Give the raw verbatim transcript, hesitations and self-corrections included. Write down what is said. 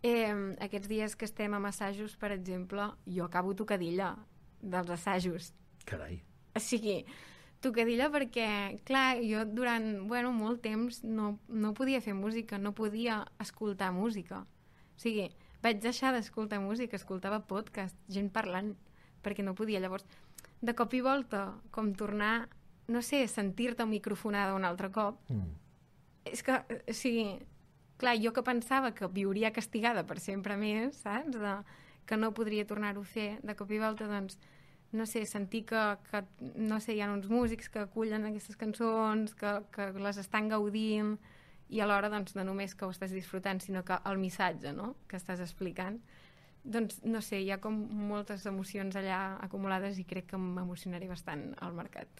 Eh, aquests dies que estem amb assajos, per exemple, jo acabo tocadilla dels assajos. Carai. O sigui, tocadilla perquè, clar, jo durant, bueno, molt temps no, no podia fer música, no podia escoltar música. O sigui, vaig deixar d'escoltar música, escoltava podcast, gent parlant, perquè no podia. Llavors, de cop i volta, com tornar, no sé, sentir-te microfonada un altre cop, mm. és que, o sigui, clar, jo que pensava que viuria castigada per sempre més, saps? De, que no podria tornar-ho a fer, de cop i volta, doncs, no sé, sentir que, que no sé, hi ha uns músics que acullen aquestes cançons, que, que les estan gaudint, i alhora, doncs, no només que ho estàs disfrutant, sinó que el missatge, no?, que estàs explicant, doncs, no sé, hi ha com moltes emocions allà acumulades i crec que m'emocionaré bastant al mercat.